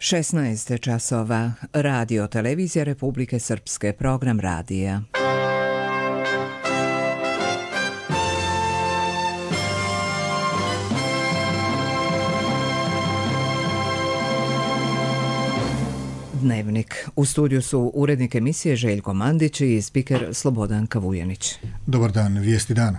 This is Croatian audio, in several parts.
16 časova. Radio Televizija Republike Srpske, program radija. Dnevnik. U studiju su urednik emisije Željko Mandić i spiker Slobodan Kavujanić. Dobar dan, vijesti dana.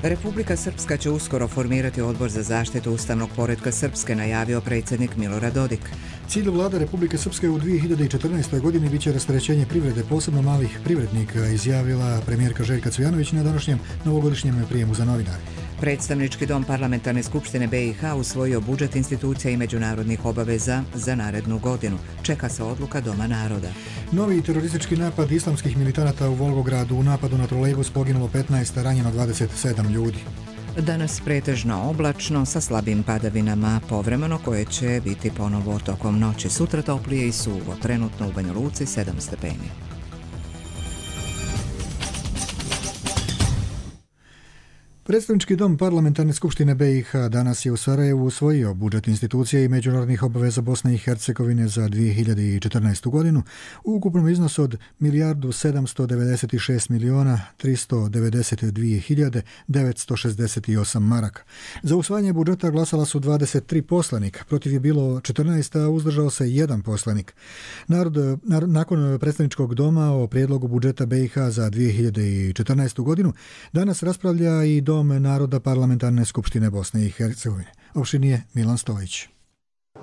Republika Srpska će uskoro formirati odbor za zaštitu ustavnog poretka Srpske, najavio predsjednik Milorad Dodik. Cilj vlade Republike Srpske u 2014. godini biće rasterećenje privrede, posebno malih privrednika, izjavila premijerka Željka Cvijanović na današnjem novogodišnjem prijemu za novinare. Predstavnički dom Parlamentarne skupštine BiH usvojio budžet institucija i međunarodnih obaveza za narednu godinu. Čeka se odluka Doma naroda. Novi teroristički napad islamskih militanata u Volgogradu. U napadu na trolejbus poginulo 15, ranjeno 27 ljudi. Danas pretežno oblačno sa slabim padavinama, povremeno koje će biti ponovo tokom noći. Sutra toplije i suvo, trenutno u Banja Luci 7 stepeni. Predstavnički dom Parlamentarne skupštine BiH danas je u Sarajevu usvojio budžet institucije i međunarodnih obaveza Bosne i Hercegovine za 2014. godinu u ukupnom iznosu od 1.796.392.968 maraka. Za usvajanje budžeta glasala su 23 poslanika, protiv je bilo 14, a uzdržao se 1 poslanik. Nakon predstavničkog doma o prijedlogu budžeta BiH za 2014. godinu danas raspravlja i Dom naroda Parlamentarne skupštine Bosne i Hercegovine. Opštinije Milan Stojić.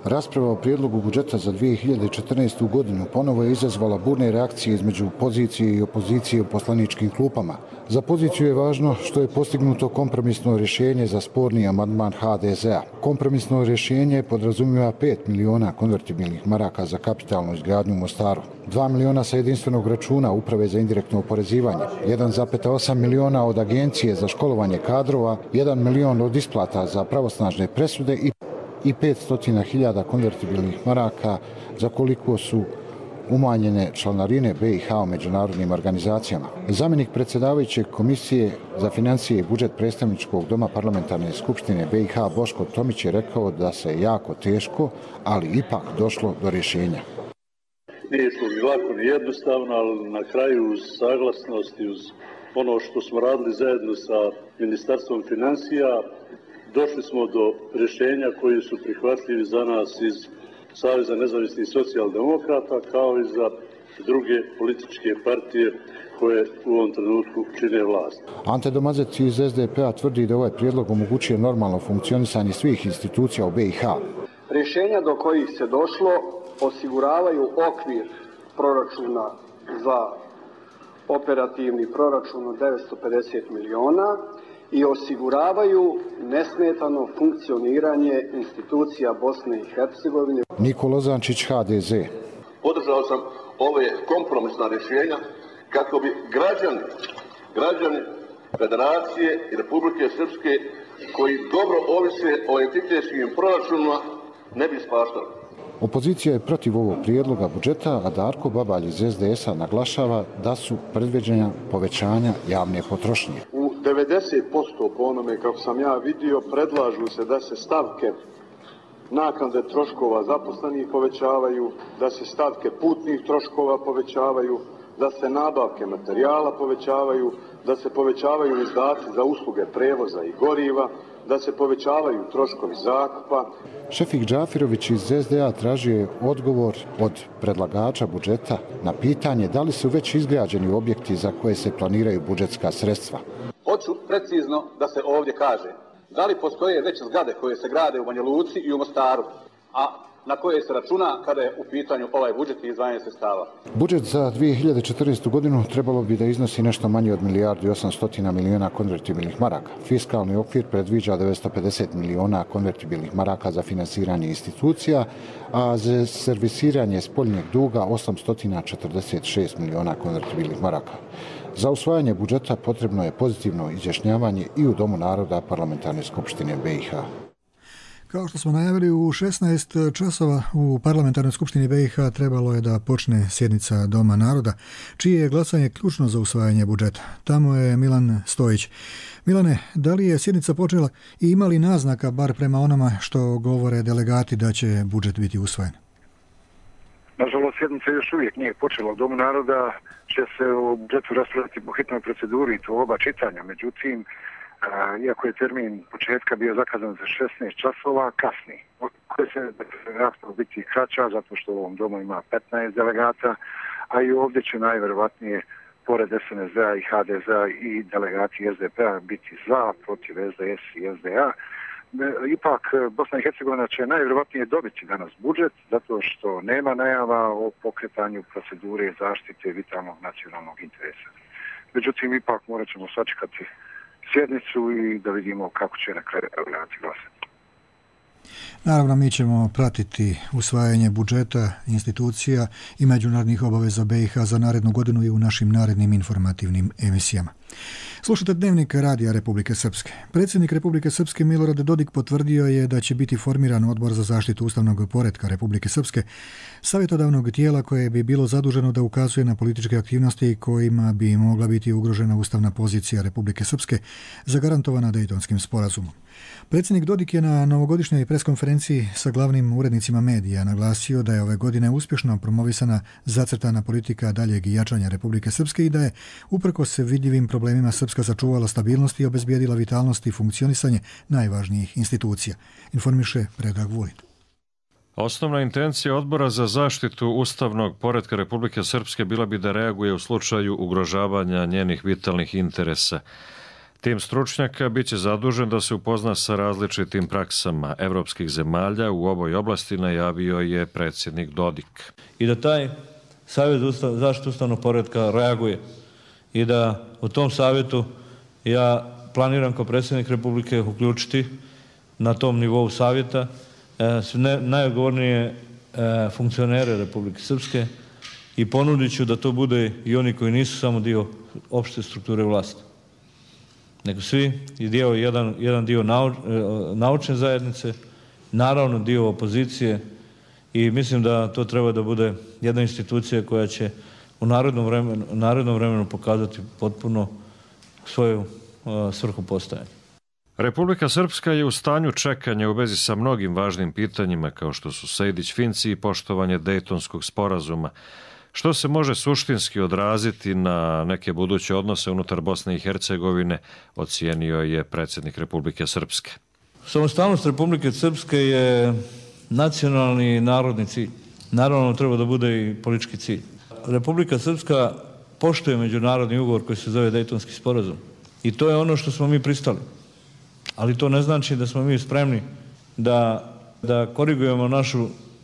Rasprava o prijedlogu budžeta za 2014. godinu ponovo je izazvala burne reakcije između pozicije i opozicije u poslaničkim klupama. Za poziciju je važno što je postignuto kompromisno rješenje za sporni amandman HDZ-a. Kompromisno rješenje podrazumijeva 5 miliona konvertibilnih maraka za kapitalnu izgradnju u Mostaru, 2 miliona sa jedinstvenog računa Uprave za indirektno oporezivanje, 1,8 miliona od Agencije za školovanje kadrova, 1 milion od isplata za pravosnažne presude i 500.000 konvertibilnih maraka za koliko su umanjene članarine BiH u međunarodnim organizacijama. Zamjenik predsjedavajućeg Komisije za financije i budžet predstavničkog doma Parlamentarne skupštine BiH Boško Tomić je rekao da se jako teško, ali ipak došlo do rješenja. Nije išlo ni lako ni jednostavno, ali na kraju uz saglasnost i uz ono što smo radili zajedno sa Ministarstvom financija, došli smo do rješenja koji su prihvatljivi za nas iz Saveza nezavisnih socijaldemokrata, kao i za druge političke partije koje u ovom trenutku čine vlast. Ante Domazec iz SDP-a tvrdi da ovaj prijedlog omogućuje normalno funkcionisanje svih institucija u BiH. Rješenja do kojih se došlo osiguravaju okvir proračuna za operativni proračun od 950 miliona i osiguravaju nesmetano funkcioniranje institucija Bosne i Hercegovine. Nikola Zančić, HDZ. Podržao sam ove kompromisna rješenja kako bi građani Federacije i Republike Srpske koji dobro ovise o entitetskim proračunima ne bi ispaštali. Opozicija je protiv ovog prijedloga budžeta, a Darko Babalj iz SDS-a naglašava da su predviđena povećanja javne potrošnje. U 90% po onome kako sam ja vidio predlažu se da se stavke naknade troškova zaposlenih povećavaju, da se stavke putnih troškova povećavaju, da se nabavke materijala povećavaju, da se povećavaju izdaci za usluge prevoza i goriva, da se povećavaju troškovi zakupa. Šefik Džafirović iz SDA tražio je odgovor od predlagača budžeta na pitanje da li su već izgrađeni objekti za koje se planiraju budžetska sredstva. Hoću precizno da se ovdje kaže da li postoje već zgrade koje se grade u Banja Luci i u Mostaru, a na koje se računa kada je u pitanju ovaj budžet i izdvajanje sredstava. Budžet za 2014. godinu trebalo bi da iznosi nešto manje od 1.800 miliona konvertibilnih maraka. Fiskalni okvir predviđa 950 miliona konvertibilnih maraka za finansiranje institucija, a za servisiranje spoljnjeg duga 846 miliona konvertibilnih maraka. Za usvajanje budžeta potrebno je pozitivno izjašnjavanje i u Domu naroda Parlamentarne skupštine BiH. Kao što smo najavili, u 16 časova u Parlamentarnoj skupštini BiH trebalo je da počne sjednica Doma naroda, čije je glasanje ključno za usvajanje budžeta. Tamo je Milan Stojić. Milane, da li je sjednica počela i ima li naznaka, bar prema onama što govore delegati, da će budžet biti usvojen? Nažalost, sjednica još uvijek nije počela. U Domu naroda će se o budžetu raspravljati po hitnoj proceduri, to oba čitanja. Međutim, iako je termin početka bio zakazan za 16 časova, kasni. Koje se rasprava biti kraća, zato što u ovom domu ima 15 delegata, a i ovdje će najvjerovatnije, pored SNSD-a i HDZ-a i delegati SDP-a biti za, protiv SDS i SDA. Ipak Bosna i Hercegovina će najvjerovatnije dobiti danas budžet, zato što nema najava o pokretanju procedure zaštite vitalnog nacionalnog interesa. Međutim, ipak morat ćemo sačekati sjednicu i da vidimo kako će na kraju delegati glasati. Naravno, mi ćemo pratiti usvajanje budžeta, institucija i međunarodnih obaveza BiH za narednu godinu i u našim narednim informativnim emisijama. Slušate Dnevnik Radija Republike Srpske. Predsjednik Republike Srpske Milorad Dodik potvrdio je da će biti formiran Odbor za zaštitu ustavnog poretka Republike Srpske, savjetodavnog tijela koje bi bilo zaduženo da ukazuje na političke aktivnosti kojima bi mogla biti ugrožena ustavna pozicija Republike Srpske zagarantovana Dejtonskim sporazumom. Predsjednik Dodik je na novogodišnjoj preskonferenciji sa glavnim urednicima medija naglasio da je ove godine uspješno promovisana zacrtana politika daljeg jačanja Republike Srpske i da je, uprkos vidljivim problemima, Srpska sačuvala stabilnost i obezbijedila vitalnost i funkcionisanje najvažnijih institucija. Informiše Predrag Vulin. Osnovna intencija Odbora za zaštitu ustavnog poretka Republike Srpske bila bi da reaguje u slučaju ugrožavanja njenih vitalnih interesa. Tim stručnjaka biće zadužen da se upozna sa različitim praksama evropskih zemalja u ovoj oblasti, najavio je predsjednik Dodik. I da taj Savjet za zaštitu ustavnog poretka reaguje i da u tom savjetu ja planiram kao predsjednik Republike uključiti na tom nivou savjeta najodgovornije funkcionere Republike Srpske i ponudit ću da to bude i oni koji nisu samo dio opšte strukture vlasti, nego svi i jedan dio naučne zajednice, naravno dio opozicije i mislim da to treba da bude jedna institucija koja će u narednom vremenu pokazati potpuno svoju svrhu postojanja. Republika Srpska je u stanju čekanja u vezi sa mnogim važnim pitanjima kao što su Sejdić-Finci i poštovanje Dejtonskog sporazuma, što se može suštinski odraziti na neke buduće odnose unutar Bosne i Hercegovine, ocijenio je predsjednik Republike Srpske. Samostalnost Republike Srpske je nacionalni i narodni cilj. Naravno, treba da bude i politički cilj. Republika Srpska poštuje međunarodni ugovor koji se zove Dejtonski sporazum. I to je ono što smo mi pristali. Ali to ne znači da smo mi spremni da korigujemo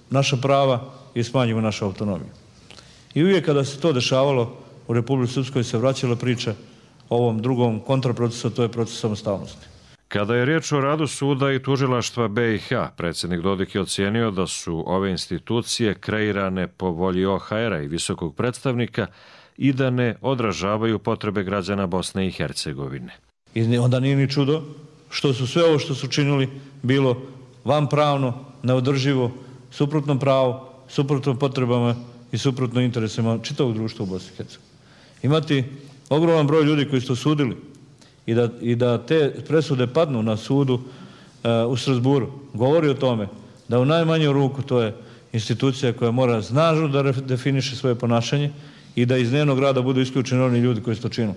naša prava i smanjimo našu autonomiju. I uvijek kada se to dešavalo u Republici Srpskoj se vraćala priča o ovom drugom kontraprocesu, to je proces samostalnosti. Kada je riječ o radu suda i tužilaštva BiH, predsjednik Dodik je ocijenio da su ove institucije kreirane po volji OHR-a i visokog predstavnika i da ne odražavaju potrebe građana Bosne i Hercegovine. I onda nije ni čudo što su sve ovo što su činili bilo vanpravno, neodrživo, suprotno pravo, suprotno potrebama i suprotno interesima čitavog društva u Bosni i Hercegovini. Imati ogroman broj ljudi koji su to sudili i da te presude padnu na sudu u Strasburu, govori o tome da u najmanju ruku to je institucija koja mora snažno da definiše svoje ponašanje i da iz njenog rada budu isključeni oni ljudi koji su to činili.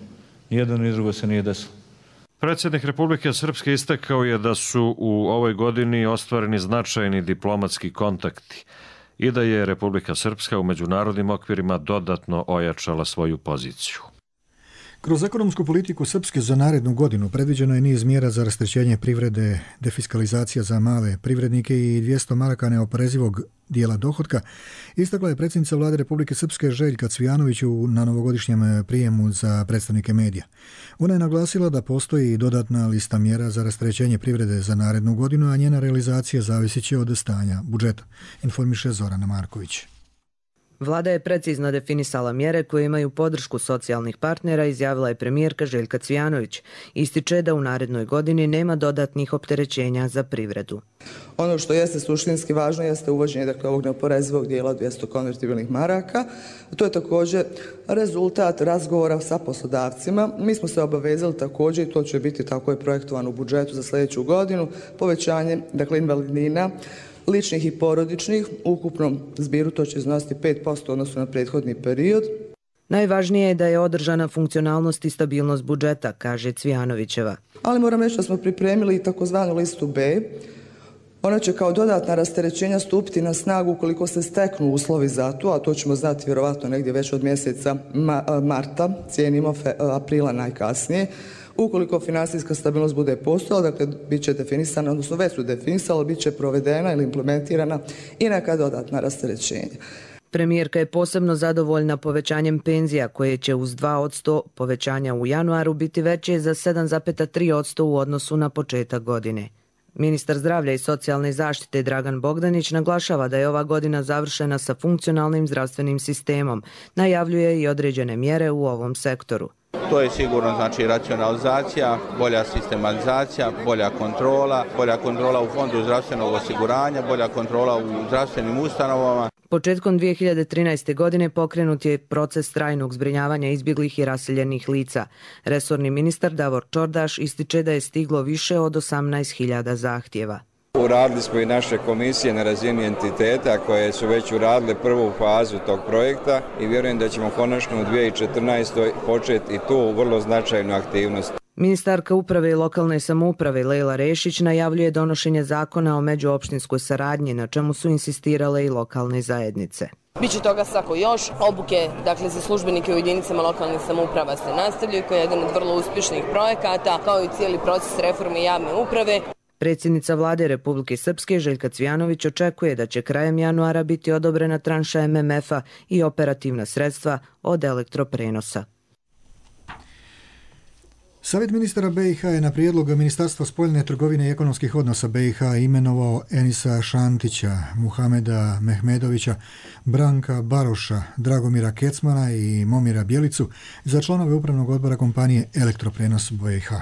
Nijedno ni drugo se nije desilo. Predsjednik Republike Srpske istakao je da su u ovoj godini ostvareni značajni diplomatski kontakti i da je Republika Srpska u međunarodnim okvirima dodatno ojačala svoju poziciju. Kroz ekonomsku politiku Srpske za narednu godinu predviđeno je niz mjera za rasterećenje privrede, defiskalizacija za male privrednike i 200 maraka neoporezivog dijela dohotka, istakla je predsjednica Vlade Republike Srpske Željka Cvijanović na novogodišnjem prijemu za predstavnike medija. Ona je naglasila da postoji dodatna lista mjera za rasterećenje privrede za narednu godinu, a njena realizacija zavisit će od stanja budžeta, informiše Zorana Marković. Vlada je precizno definisala mjere koje imaju podršku socijalnih partnera, izjavila je premijerka Željka Cvijanović. Ističe da u narednoj godini nema dodatnih opterećenja za privredu. Ono što jeste suštinski važno jeste uvođenje ovog neoporezivog dijela 200 konvertibilnih maraka. To je također rezultat razgovora sa poslodavcima. Mi smo se obavezali također, i to će biti tako je projektovano u budžetu za sljedeću godinu, povećanje invalidnina, ličnih i porodičnih, u ukupnom zbiru to će iznositi 5% odnosno na prethodni period. Najvažnije je da je održana funkcionalnost i stabilnost budžeta, kaže Cvijanovićeva. Ali moram reći da smo pripremili i takozvanu listu B. Ona će kao dodatna rasterećenja stupiti na snagu ukoliko se steknu uslovi za to, a to ćemo znati vjerovatno negdje već od mjeseca marta, cijenimo aprila najkasnije. Ukoliko financijska stabilnost bude postojala, dakle, bit će definisana, odnosno već su definisala, bit će provedena ili implementirana i neka dodatna rasterećenja. Premijerka je posebno zadovoljna povećanjem penzija koje će uz 2% povećanja u januaru biti veće za 7,3% u odnosu na početak godine. Ministar zdravlja i socijalne zaštite Dragan Bogdanić naglašava da je ova godina završena sa funkcionalnim zdravstvenim sistemom. Najavljuje i određene mjere u ovom sektoru. To je sigurno znači racionalizacija, bolja sistematizacija, bolja kontrola u fondu zdravstvenog osiguranja, bolja kontrola u zdravstvenim ustanovama. Početkom 2013. godine pokrenut je proces trajnog zbrinjavanja izbjeglih i raseljenih lica. Resorni ministar Davor Čordaš ističe da je stiglo više od 18.000 zahtjeva. Uradili smo i naše komisije na razini entiteta koje su već uradile prvu fazu tog projekta i vjerujem da ćemo konačno u 2014. početi i tu vrlo značajnu aktivnost. Ministarka uprave i lokalne samouprave Lejla Rešić najavljuje donošenje zakona o međuopštinskoj saradnji, na čemu su insistirale i lokalne zajednice. Biće toga svako još. Obuke, za službenike u jedinicama lokalnih samouprava se nastavljaju, koji je jedan od vrlo uspješnih projekata, kao i cijeli proces reforme javne uprave. Predsjednica vlade Republike Srpske Željka Cvijanović očekuje da će krajem januara biti odobrena tranša MMF-a i operativna sredstva od elektroprenosa. Savjet ministara BiH je na prijedlog Ministarstva spoljne trgovine i ekonomskih odnosa BiH imenovao Enisa Šantića, Muhameda Mehmedovića, Branka Baroša, Dragomira Kecmana i Momira Bjelicu za članove upravnog odbora kompanije Elektroprenos BiH.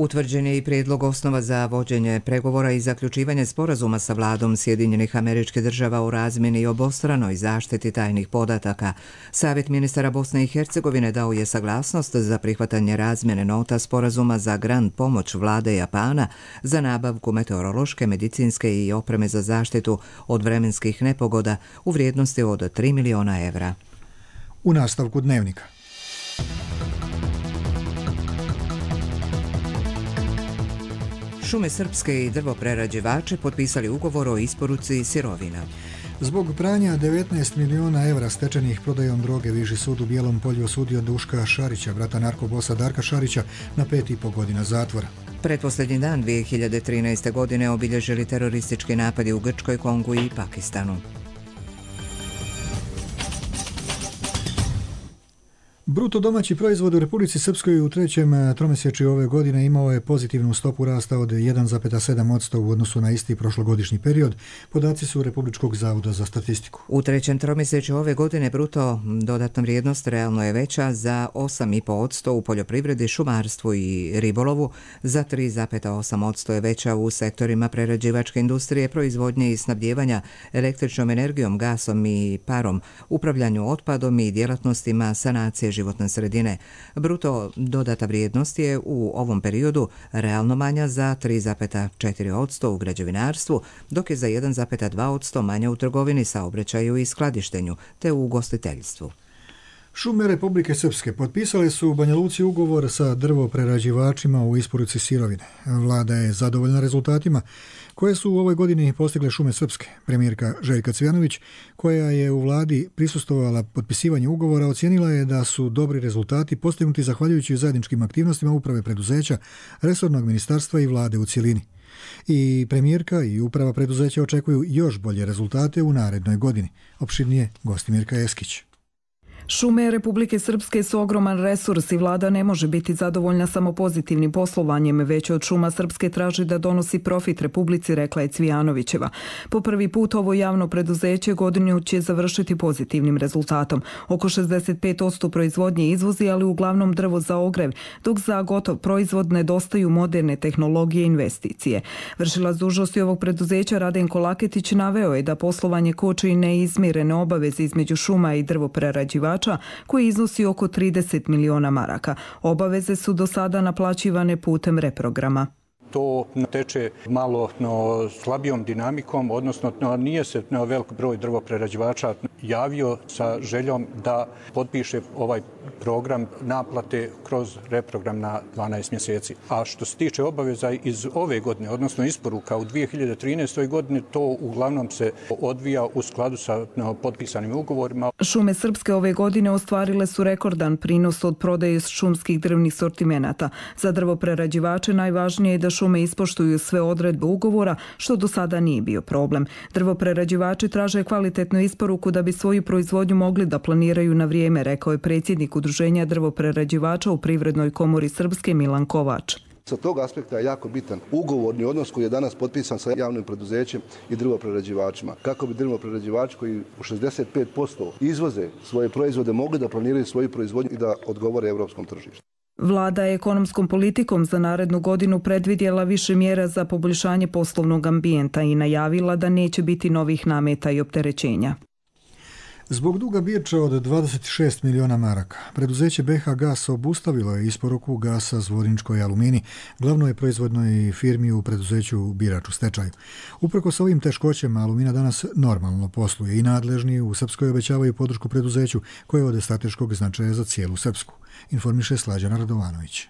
Utvrđen je i prijedlog osnova za vođenje pregovora i zaključivanje sporazuma sa vladom Sjedinjenih Američkih Država o razmjeni i obostranoj zaštiti tajnih podataka. Savjet ministara Bosne i Hercegovine dao je saglasnost za prihvatanje razmjene nota sporazuma za grant pomoć vlade Japana za nabavku meteorološke, medicinske i opreme za zaštitu od vremenskih nepogoda u vrijednosti od 3 miliona evra. U nastavku dnevnika. Šume Srpske i drvoprerađivači potpisali ugovor o isporuci sirovina. Zbog pranja 19 miliona evra stečenih prodajom droge Viši sud u Bijelom Polju osudio Duška Šarića, brata narkobosa Darka Šarića, na 5,5 godina zatvora. Pretposljednji dan 2013. godine obilježili teroristički napadi u Grčkoj, Kongu i Pakistanu. Bruto domaći proizvod u Republici Srpskoj u trećem tromjesečju ove godine imao je pozitivnu stopu rasta od 1,7% u odnosu na isti prošlogodišnji period. Podaci su Republičkog zavoda za statistiku. U trećem tromjesečju ove godine bruto dodatna vrijednost realno je veća za 8,5% u poljoprivredi, šumarstvu i ribolovu, za 3,8% je veća u sektorima prerađivačke industrije, proizvodnje i snabdijevanja električnom energijom, gasom i parom, upravljanju otpadom i djelatnostima sanacije životne sredine. Bruto dodata vrijednost je u ovom periodu realno manja za 3,4% u građevinarstvu, dok je za 1,2% manja u trgovini, saobraćaju i skladištenju, te u ugostiteljstvu. Šume Republike Srpske potpisale su u Banja Luci ugovor sa drvoprerađivačima u isporuci sirovine. Vlada je zadovoljna rezultatima koje su u ovoj godini postigle Šume Srpske. Premijerka Željka Cvijanović, koja je u vladi prisustvovala potpisivanju ugovora, ocijenila je da su dobri rezultati postignuti zahvaljujući zajedničkim aktivnostima uprave preduzeća, resornog ministarstva i vlade u cjelini. I premijerka i uprava preduzeća očekuju još bolje rezultate u narednoj godini. Opširnije Gostimirka Eskić. Šume Republike Srpske su ogroman resurs i vlada ne može biti zadovoljna samo pozitivnim poslovanjem, već od Šuma Srpske traži da donosi profit Republici, rekla je Cvijanovićeva. Po prvi put ovo javno preduzeće godinu će završiti pozitivnim rezultatom. Oko 65% proizvodnje izvozi, ali uglavnom drvo za ogrev, dok za gotov proizvod nedostaju moderne tehnologije i investicije. Vršilac dužnosti ovog preduzeća Radenko Laketić naveo je da poslovanje koči neizmirene obaveze između šuma i drvoprerađivača koji iznosi oko 30 miliona maraka. Obaveze su do sada naplaćivane putem reprograma. To teče malo slabijom dinamikom, odnosno nije se velik broj drvoprerađivača javio sa željom da potpiše ovaj program naplate kroz reprogram na 12 mjeseci. A što se tiče obaveza iz ove godine, odnosno isporuka u 2013. godini, to uglavnom se odvija u skladu sa potpisanim ugovorima. Šume Srpske ove godine ostvarile su rekordan prinos od prodaje šumskih drvnih sortimenata. Za drvoprerađivače najvažnije je da šume ispoštuju sve odredbe ugovora, što do sada nije bio problem. Drvoprerađivači traže kvalitetnu isporuku da bi svoju proizvodnju mogli da planiraju na vrijeme, rekao je predsjednik Udruženja drvoprerađivača u Privrednoj komori Srpske Milan Kovač. Sa tog aspekta je jako bitan ugovorni odnos koji je danas potpisan sa javnim preduzećem i drvoprerađivačima. Kako bi drvoprerađivači koji u 65% izvoze svoje proizvode mogli da planiraju svoju proizvodnju i da odgovore europskom tržištu. Vlada je ekonomskom politikom za narednu godinu predvidjela više mjera za poboljšanje poslovnog ambijenta i najavila da neće biti novih nameta i opterećenja. Zbog duga Birča od 26 miliona maraka, preduzeće BH Gas obustavilo je isporuku gasa Zvorničkoj Alumini, glavnoj proizvodnoj firmi u preduzeću Birač u stečaju. Uprkos ovim teškoćama, Alumina danas normalno posluje i nadležni u Srpskoj obećavaju podršku preduzeću koje je od strateškog značaja za cijelu Srpsku, informiše Slađana Radovanović.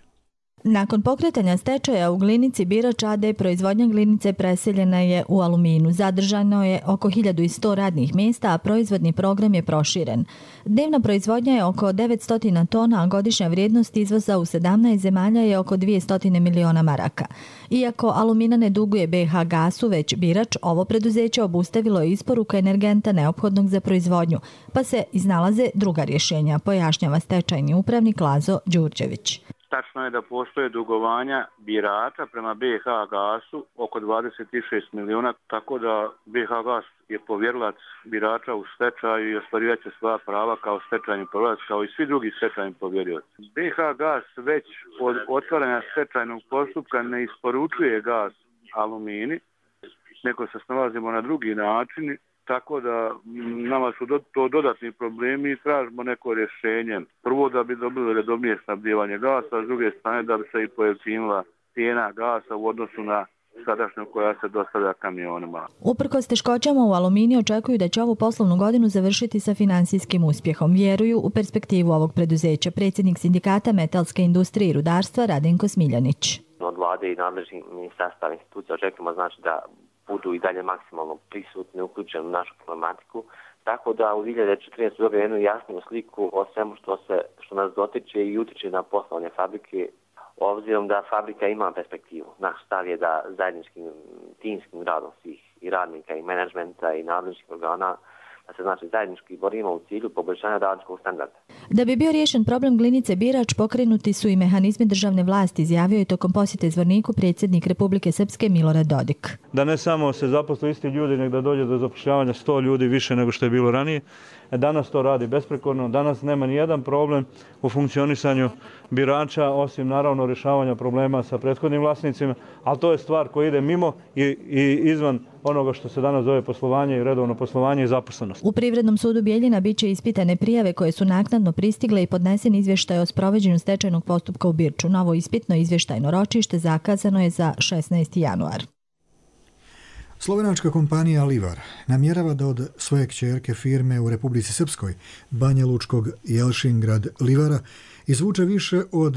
Nakon pokretanja stečaja u Glinici Birač AD proizvodnja glinice preseljena je u Aluminu. Zadržano je oko 1100 radnih mjesta, a proizvodni program je proširen. Dnevna proizvodnja je oko 900 tona, a godišnja vrijednost izvoza u 17 zemalja je oko 200 miliona maraka. Iako Alumina ne duguje BH Gasu, već Birač, ovo preduzeće obustavilo je isporuku energenta neophodnog za proizvodnju, pa se iznalaze druga rješenja, pojašnjava stečajni upravnik Lazo Đurđević. Tačno je da postoje dugovanja birača prema BH Gasu oko 26 miliona, tako da BH Gas je povjerilac birača u stečaju i ostvarivat će svoja prava kao stečajni povjerilac, kao i svi drugi stečajni povjerilac. BH Gas već od otvaranja stečajnog postupka ne isporučuje gas Alumini, nego se snalazimo na drugi način, tako da nama su to dodatni problemi i tražimo neko rješenje. Prvo da bi dobili redovnije snabdijevanje gasa, a s druge strane da bi se i pojeftinila cijena gasa u odnosu na sadašnju koja se dostavlja kamionima. Uprkos teškoćama u Alumini očekuju da će ovu poslovnu godinu završiti sa finansijskim uspjehom. Vjeruju u perspektivu ovog preduzeća. Predsjednik sindikata metalske industrije i rudarstva Radenko Smiljanić. Od vlade i nadležnih ministarstava institucija očekujemo da budu i dalje maksimalno prisutni, uključeni u našu problematiku, tako da u 2014. dobije jednu jasniju sliku o svemu što nas dotiče i utiče na poslovne fabrike, obzirom da fabrika ima perspektivu. Naš stav je da zajedničkim timskim radom svih i radnika i menadžmenta i nadležnih organa da se zajednički borimo u cilju poboljšanja radničkog standarda. Da bi bio riješen problem Glinice Birač, pokrenuti su i mehanizmi državne vlasti, izjavio je tokom posjete Zvorniku predsjednik Republike Srpske Milorad Dodik. Da ne samo se zaposle isti ljudi, nego da dođe do zapošljavanja 100 ljudi više nego što je bilo ranije. Danas to radi besprekorno, danas nema ni jedan problem u funkcionisanju birača, osim naravno rješavanja problema sa prethodnim vlasnicima, ali to je stvar koja ide mimo i izvan onoga što se danas zove poslovanje i redovno poslovanje i zaposlenost. U Privrednom sudu Bijeljina biće ispitane prijave koje su naknadno pristigle i podnesen izvještaj o sprovođenju stečajnog postupka u Birču. Novo ispitno izvještajno ročište zakazano je za 16. januar. Slovenačka kompanija Livar namjerava da od svoje kćerke firme u Republici Srpskoj, Banja Lučkog Jelšingrad Livara, izvuče više od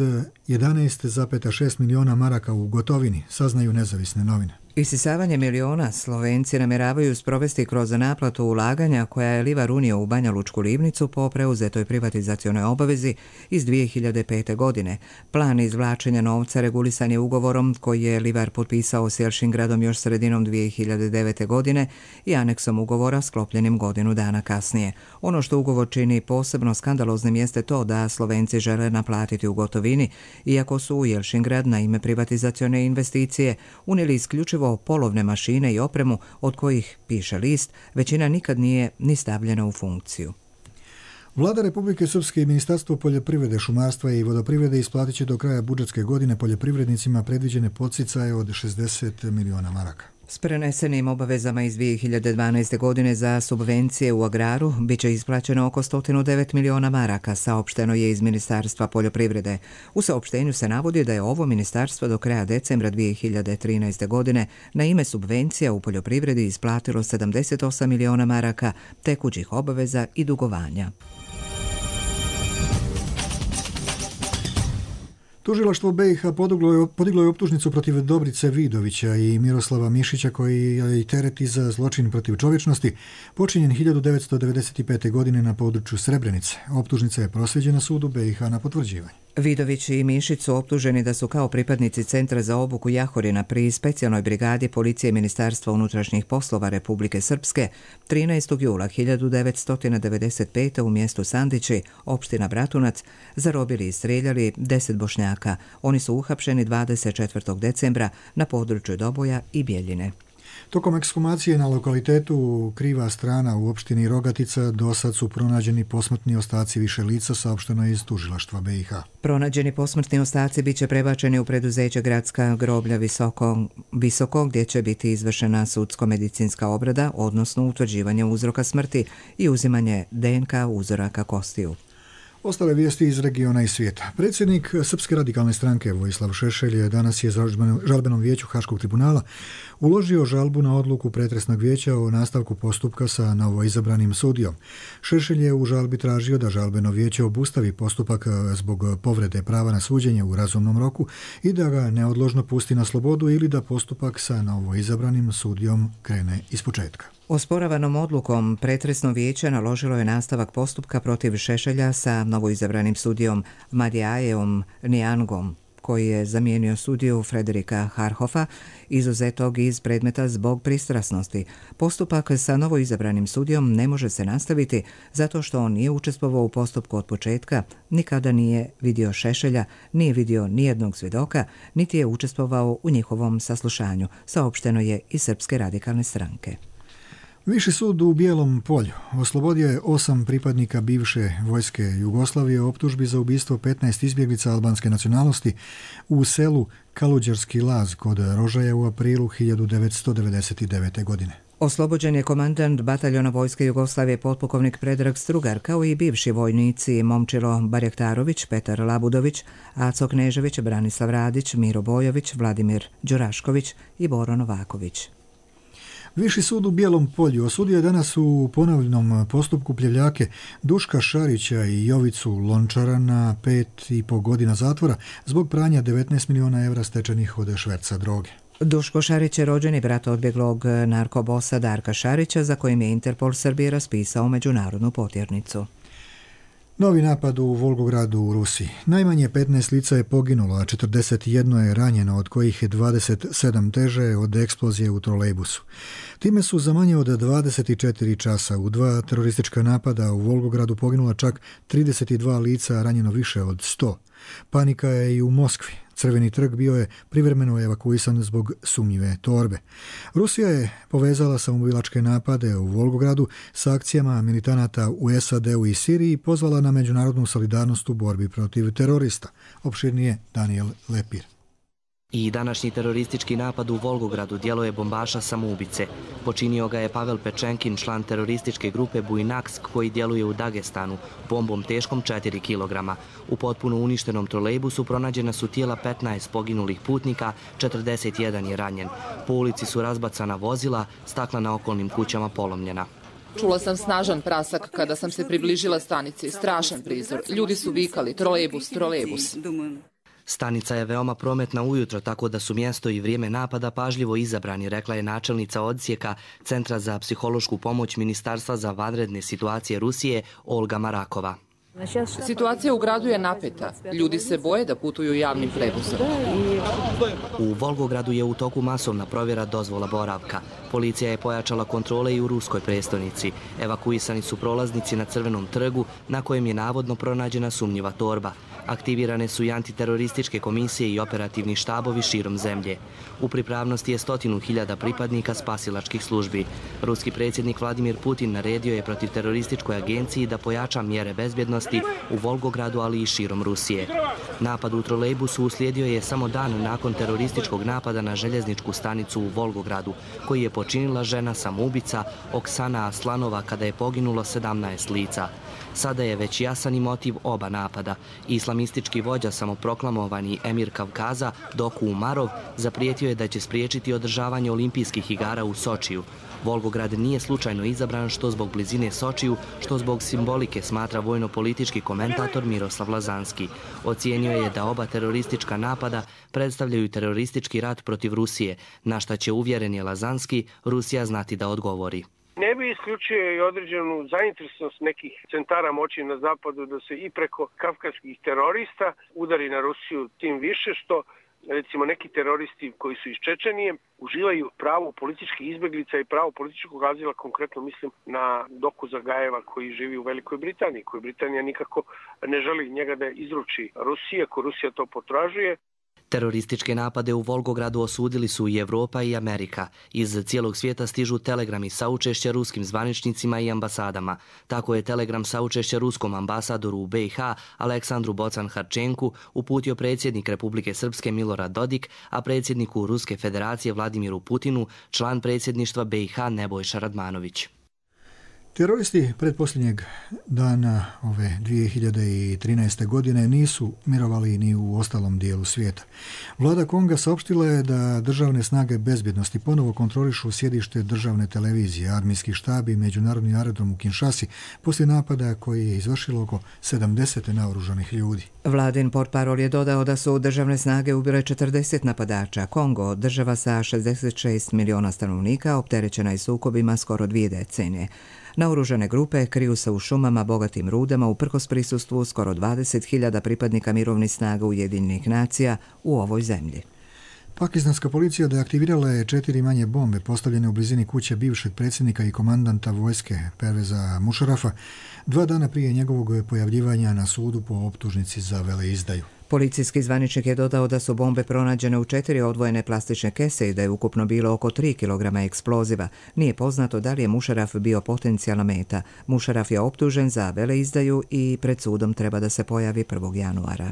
11,6 miliona maraka u gotovini, saznaju nezavisne novine. Isisavanje miliona Slovenci namjeravaju sprovesti kroz naplatu ulaganja koja je Livar unio u Banja Lučku livnicu po preuzetoj privatizacionoj obavezi iz 2005. godine. Plan izvlačenja novca regulisan je ugovorom koji je Livar potpisao s Jelšingradom još sredinom 2009. godine i aneksom ugovora sklopljenim godinu dana kasnije. Ono što ugovor čini posebno skandaloznim jeste to da Slovenci žele naplatiti u gotovini, iako su u Jelšingrad na ime privatizacione investicije unijeli isključivo polovne mašine i opremu od kojih, piše list, većina nikad nije ni stavljena u funkciju. Vlada Republike Srpske i Ministarstvo poljoprivrede, šumarstva i vodoprivrede isplatit će do kraja budžetske godine poljoprivrednicima predviđene podsticaje od 60 miliona maraka. S prenesenim obavezama iz 2012. godine za subvencije u agraru biće isplaćeno oko 109 miliona maraka, saopšteno je iz Ministarstva poljoprivrede. U saopštenju se navodi da je ovo ministarstvo do kraja decembra 2013. godine na ime subvencija u poljoprivredi isplatilo 78 miliona maraka tekućih obaveza i dugovanja. Tužilaštvo BiH podiglo je optužnicu protiv Dobrice Vidovića i Miroslava Mišića koji je tereti za zločin protiv čovječnosti počinjen 1995. godine na području Srebrenice. Optužnica je proslijeđena sudu BiH na potvrđivanje. Vidović i Mišić su optuženi da su kao pripadnici Centra za obuku Jahorina pri specijalnoj brigadi policije Ministarstva unutrašnjih poslova Republike Srpske 13. jula 1995. u mjestu Sandići, opština Bratunac, zarobili i streljali 10 Bošnjaka. Oni su uhapšeni 24. decembra na području Doboja i Bjeljine. Tokom ekshumacije na lokalitetu Kriva strana u opštini Rogatica dosad su pronađeni posmrtni ostaci više lica, saopšteno iz tužilaštva BiH. Pronađeni posmrtni ostaci biće prebačeni u preduzeće Gradska groblja Visoko gdje će biti izvršena sudsko-medicinska obrada, odnosno utvrđivanje uzroka smrti i uzimanje DNK uzoraka kostiju. Ostale vijesti iz regiona i svijeta. Predsjednik Srpske radikalne stranke Vojislav Šešelj danas je žalbenom vijeću Haškog tribunala uložio žalbu na odluku pretresnog vijeća o nastavku postupka sa novoizabranim sudijom. Šešelj je u žalbi tražio da žalbeno vijeće obustavi postupak zbog povrede prava na suđenje u razumnom roku i da ga neodložno pusti na slobodu ili da postupak sa novoizabranim sudijom krene ispočetka. Osporavanom odlukom pretresno vijeće naložilo je nastavak postupka protiv Šešelja sa novoizabranim sudijom Madijajevom Nijangom, koji je zamijenio sudiju Frederika Harhofa, izuzetog iz predmeta zbog pristrasnosti. Postupak sa novoizabranim sudijom ne može se nastaviti zato što on nije učestvovao u postupku od početka, nikada nije vidio Šešelja, nije vidio nijednog svjedoka, niti je učestvovao u njihovom saslušanju, saopšteno je iz Srpske radikalne stranke. Viši sud u Bijelom Polju oslobodio je 8 pripadnika bivše vojske Jugoslavije optužbi za ubistvo 15 izbjeglica albanske nacionalnosti u selu Kaluđerski Laz kod Rožaja u aprilu 1999. godine. Oslobođen je komandant bataljona vojske Jugoslavije potpukovnik Predrag Strugar, kao i bivši vojnici Momčilo Barjaktarović, Petar Labudović, Aco Knežević, Branislav Radić, Miro Bojović, Vladimir Đurašković i Boro Novaković. Viši sud u Bijelom Polju osudio je danas u ponovljenom postupku pljevljake Duška Šarića i Jovicu Lončara na 5,5 godina zatvora zbog pranja 19 miliona evra stečenih od šverca droge. Duško Šarić je rođeni brat odbjeglog narkobosa Darka Šarića, za kojim je Interpol Srbije raspisao međunarodnu potjernicu. Novi napad u Volgogradu u Rusiji. Najmanje 15 lica je poginulo, a 41 je ranjeno, od kojih je 27 teže od eksplozije u trolejbusu. Time su za manje od 24 časa u 2 teroristička napada u Volgogradu poginula čak 32 lica, ranjeno više od 100. Panika je i u Moskvi. Crveni trg bio je privremeno evakuisan zbog sumnjive torbe. Rusija je povezala samoubilačke napade u Volgogradu sa akcijama militanata u SAD-u i Siriji i pozvala na međunarodnu solidarnost u borbi protiv terorista. Opširnije Daniel Lepir. I današnji teroristički napad u Volgogradu djelo je bombaša samoubice. Počinio ga je Pavel Pečenkin, član terorističke grupe Bujnaksk koji djeluje u Dagestanu, bombom teškom 4 kg. U potpuno uništenom trolejbusu pronađena su tijela 15 poginulih putnika, 41 je ranjen. Po ulici su razbacana vozila, stakla na okolnim kućama polomljena. Čula sam snažan prasak kada sam se približila stanici. Strašan prizor. Ljudi su vikali trolejbus, trolejbus. Stanica je veoma prometna ujutro, tako da su mjesto i vrijeme napada pažljivo izabrani, rekla je načelnica odsjeka Centra za psihološku pomoć Ministarstva za vanredne situacije Rusije Olga Marakova. Situacija u gradu je napeta. Ljudi se boje da putuju javnim prevozom. U Volgogradu je u toku masovna provjera dozvola boravka. Policija je pojačala kontrole i u ruskoj prestonici. Evakuisani su prolaznici na Crvenom trgu, na kojem je navodno pronađena sumnjiva torba. Aktivirane su i antiterorističke komisije i operativni štabovi širom zemlje. U pripravnosti je 100.000 pripadnika spasilačkih službi. Ruski predsjednik Vladimir Putin naredio je protiv terorističkoj agenciji da pojača mjere bezbjednosti u Volgogradu, ali i širom Rusije. Napad u trolejbusu uslijedio je samo dan nakon terorističkog napada na željezničku stanicu u Volgogradu, koji je počinila žena samoubica Oksana Aslanova kada je poginulo 17 lica. Sada je već jasan i motiv oba napada. Islamistički vođa, samoproklamovani emir Kavkaza, Doku Umarov, zaprijetio je da će spriječiti održavanje olimpijskih igara u Sočiju. Volgograd nije slučajno izabran što zbog blizine Sočiju, što zbog simbolike, smatra vojno-politički komentator Miroslav Lazanski. Ocijenio je da oba teroristička napada predstavljaju teroristički rat protiv Rusije, na šta će, uvjeren je Lazanski, Rusija znati da odgovori. Ne bi isključio i određenu zainteresovanost nekih centara moći na zapadu da se i preko kavkaskih terorista udari na Rusiju, tim više što recimo neki teroristi koji su iz Čečenije uživaju pravo političkih izbjeglica i pravo političkog azila, konkretno mislim na Doku Zagajeva koji živi u Velikoj Britaniji, koju Britanija nikako ne želi njega da izruči Rusiji, ako Rusija to potražuje. Terorističke napade u Volgogradu osudili su i Evropa i Amerika. Iz cijelog svijeta stižu telegrami saučešća ruskim zvaničnicima i ambasadama. Tako je telegram saučešća ruskom ambasadoru u BiH Aleksandru Bocan-Harčenku uputio predsjednik Republike Srpske Milorad Dodik, a predsjedniku Ruske federacije Vladimiru Putinu član predsjedništva BiH Nebojša Radmanović. Teroristi pretposljednjeg dana ove 2013. godine nisu mirovali ni u ostalom dijelu svijeta. Vlada Konga saopštila je da državne snage bezbjednosti ponovo kontrolišu sjedište državne televizije, armijski štab i međunarodni aerodrom u Kinshasi poslije napada koji je izvršilo oko 70 naoružanih ljudi. Vladin portparol je dodao da su državne snage ubile 40 napadača. Kongo, država sa 66 miliona stanovnika, opterećena je sukobima skoro 2 decenije. Naoružane grupe kriju se u šumama bogatim rudama uprkos prisustvu skoro 20.000 pripadnika mirovnih snaga Ujedinjenih nacija u ovoj zemlji. Pakistanska policija deaktivirala je 4 manje bombe postavljene u blizini kuće bivšeg predsjednika i komandanta vojske Perveza Mušarafa 2 dana prije njegovog pojavljivanja na sudu po optužnici za veleizdaju. Policijski zvaničnik je dodao da su bombe pronađene u 4 odvojene plastične kese i da je ukupno bilo oko 3 kg eksploziva. Nije poznato da li je Mušaraf bio potencijalna meta. Mušaraf je optužen za veleizdaju i pred sudom treba da se pojavi 1. januara.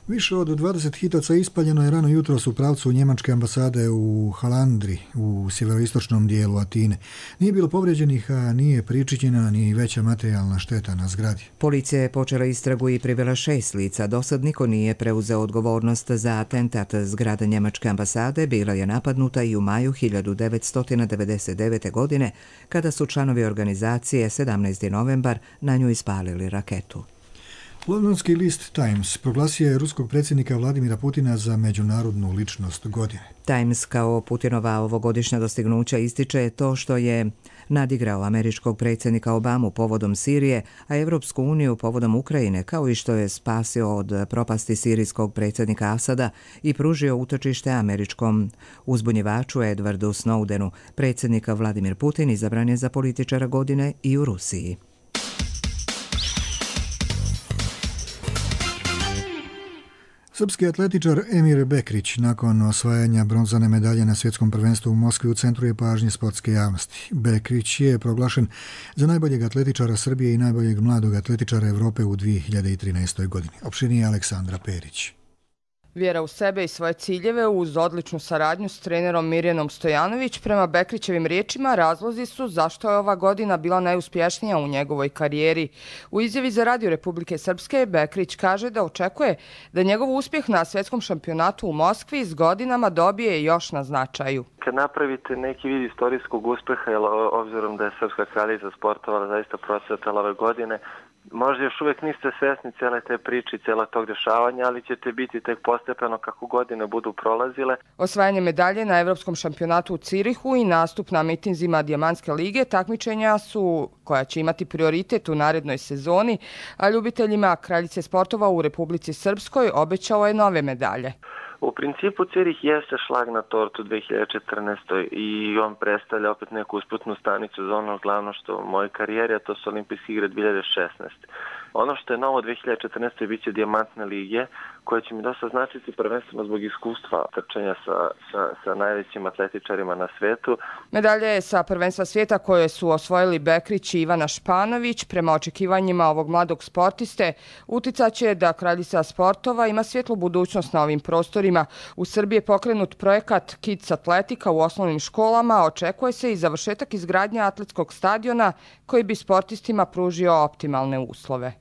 Više od 20 hitaca ispaljeno je rano jutros u pravcu njemačke ambasade u Halandri, u sjeveroistočnom dijelu Atine. Nije bilo povrijeđenih, a nije pričinjena ni veća materijalna šteta na zgradi. Policija je počela istragu i privela 6 lica. Dosad niko nije preuzeo odgovornost za atentat. Zgrada njemačke ambasade bila je napadnuta i u maju 1999. godine, kada su članovi organizacije 17. novembar na nju ispalili raketu. Londonski list Times proglasio je ruskog predsjednika Vladimira Putina za međunarodnu ličnost godine. Times kao Putinova ovogodišnja dostignuća ističe to što je nadigrao američkog predsjednika Obamu povodom Sirije, a Evropsku uniju povodom Ukrajine, kao i što je spasio od propasti sirijskog predsjednika Asada i pružio utočište američkom uzbunjivaču Edwardu Snowdenu. Predsjednik Vladimir Putin izabran je za političara godine i u Rusiji. Srpski atletičar Emir Bekrić nakon osvajanja bronzane medalje na svjetskom prvenstvu u Moskvi u centru je pažnje sportske javnosti. Bekrić je proglašen za najboljeg atletičara Srbije i najboljeg mladog atletičara Evrope u 2013. godini. Opširnije Aleksandra Perić. Vjera u sebe i svoje ciljeve uz odličnu saradnju s trenerom Mirjanom Stojanović, prema Bekrićevim riječima, razlozi su zašto je ova godina bila najuspješnija u njegovoj karijeri. U izjavi za Radio Republike Srpske Bekrić kaže da očekuje da njegov uspjeh na svjetskom šampionatu u Moskvi s godinama dobije još na značaju. Kad napravite neki vid istorijskog uspjeha, obzirom da je Srpska kraljica sportovala zaista procvetala ove godine, Možda još uvijek niste svjesni cijele te priče i cijela tog dešavanja, ali ćete biti tek postepeno kako godine budu prolazile. Osvajanje medalje na Evropskom šampionatu u Cirihu i nastup na mitinzima Dijamantske lige takmičenja su koja će imati prioritet u narednoj sezoni, a ljubiteljima kraljice sportova u Republici Srpskoj obećao je nove medalje. U principu Cirih jeste šlag na tortu 2014. i on predstavlja opet neku usputnu stanicu za ono glavno što u mojoj karijeri, a to su Olimpijske igre 2016. Ono što je novo 2014. bit će Dijamantne lige, koje će mi dosta značiti prvenstveno zbog iskustva trčanja sa najvećim atletičarima na svetu. Medalje sa prvenstva svijeta koje su osvojili Bekrić i Ivana Španović, prema očekivanjima ovog mladog sportiste, uticaće da kraljica sportova ima svjetlu budućnost na ovim prostorima. U Srbiji je pokrenut projekat Kids Atletika u osnovnim školama, a očekuje se i završetak izgradnje atletskog stadiona koji bi sportistima pružio optimalne uslove.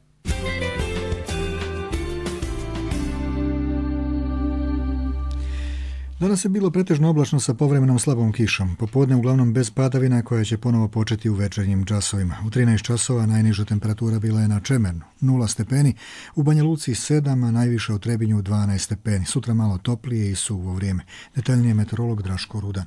Danas je bilo pretežno oblačno sa povremenom slabom kišom. Popodne uglavnom bez padavina koja će ponovo početi u večernjim časovima. U 13 časova najniža temperatura bila je na Čemernu 0 stepeni, u Banja Luci 7, a najviše u Trebinju 12 stepeni. Sutra malo toplije i suvo vrijeme. Detaljnije meteorolog Draško Rudan.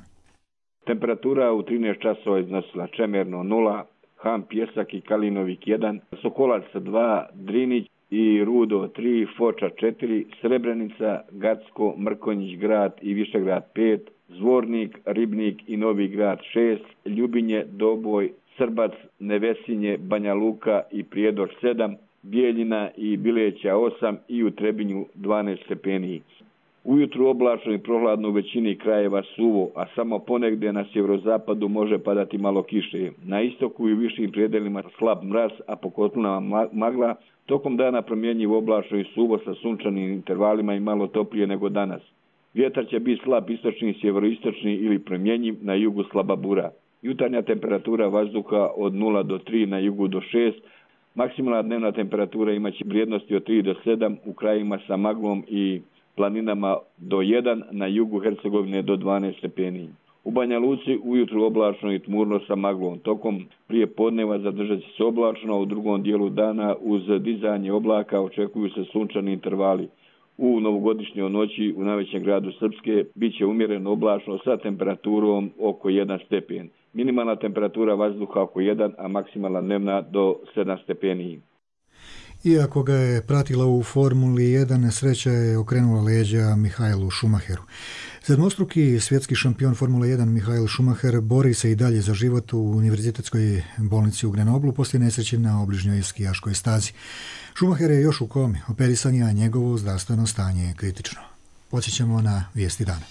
Temperatura u 13 časova iznosila Čemerno 0, Ham, Pjesak i Kalinovik 1, Sokolac 2, Drinić i Rudo 3, Foča 4, Srebrenica, Gacko, Mrkonjić grad i Višegrad 5, Zvornik, Ribnik i Novi grad 6, Ljubinje, Doboj, Srbac, Nevesinje, Banja Luka i Prijedor 7, Bijeljina i Bileća 8 i u Trebinju 12 stepeni. Ujutru oblačno i prohladno u većini krajeva suvo, a samo ponegdje na sjeverozapadu može padati malo kiše. Na istoku i višim predelima slab mraz, a po kotlinama magla. Tokom dana promjenjivo oblačno i suvo sa sunčanim intervalima i malo toplije nego danas. Vjetar će biti slab istočni, sjeveroistočni ili promjenjiv, na jugu slaba bura. Jutarnja temperatura vazduha od 0 do 3, na jugu do 6. Maksimalna dnevna temperatura imaće vrijednosti od 3 do 7 u krajima sa maglom i planinama do 1, na jugu Hercegovine do 12 stepeni. U Banja Luci ujutru oblačno i tmurno sa maglom. Tokom prije podneva zadržat će se oblačno, a u drugom dijelu dana uz dizanje oblaka očekuju se sunčani intervali. U novogodišnjoj noći u najvećem gradu Srpske bit će umjereno oblačno sa temperaturom oko 1 stepen. Minimalna temperatura vazduha oko 1, a maksimalna dnevna do 7 stepeni. Iako ga je pratila u Formuli 1, nesreća je okrenula leđa Michaelu Schumacheru. Sedmostruki svjetski šampion Formule 1 Michael Schumacher bori se i dalje za život u univerzitetskoj bolnici u Grenoblu poslije nesreće na obližnjoj skijaškoj stazi. Schumacher je još u komi, operisan je, a njegovo zdravstveno stanje je kritično. Podsjećamo na vijesti dana.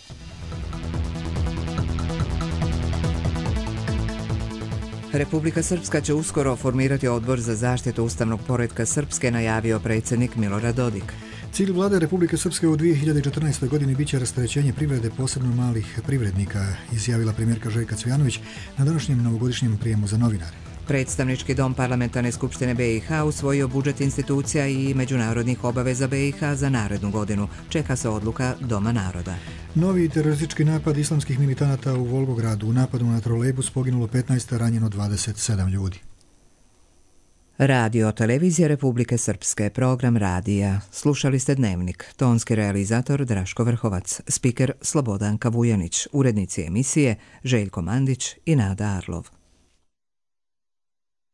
Republika Srpska će uskoro formirati odbor za zaštitu ustavnog poretka Srpske, najavio predsjednik Milorad Dodik. Cilj vlade Republike Srpske u 2014. godini biće rasterećenje privrede, posebno malih privrednika, izjavila premijerka Željka Cvijanović na današnjem novogodišnjem prijemu za novinare. Predstavnički dom Parlamentarne skupštine BiH usvojio budžet institucija i međunarodnih obaveza BiH za narednu godinu. Čeka se odluka Doma naroda. Novi teroristički napad islamskih militanata u Volgogradu. U napadu na trolejbus poginulo 15, ranjeno 27 ljudi. Radio televizija Republike Srpske, program radija. Slušali ste Dnevnik. Tonski realizator Draško Vrhovac, spiker Slobodanka Vujanić, urednici emisije Željko Mandić i Nada Arlov.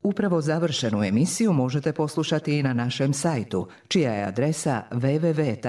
Upravo završenu emisiju možete poslušati i na našem sajtu, čija je adresa www.rtrs.tv.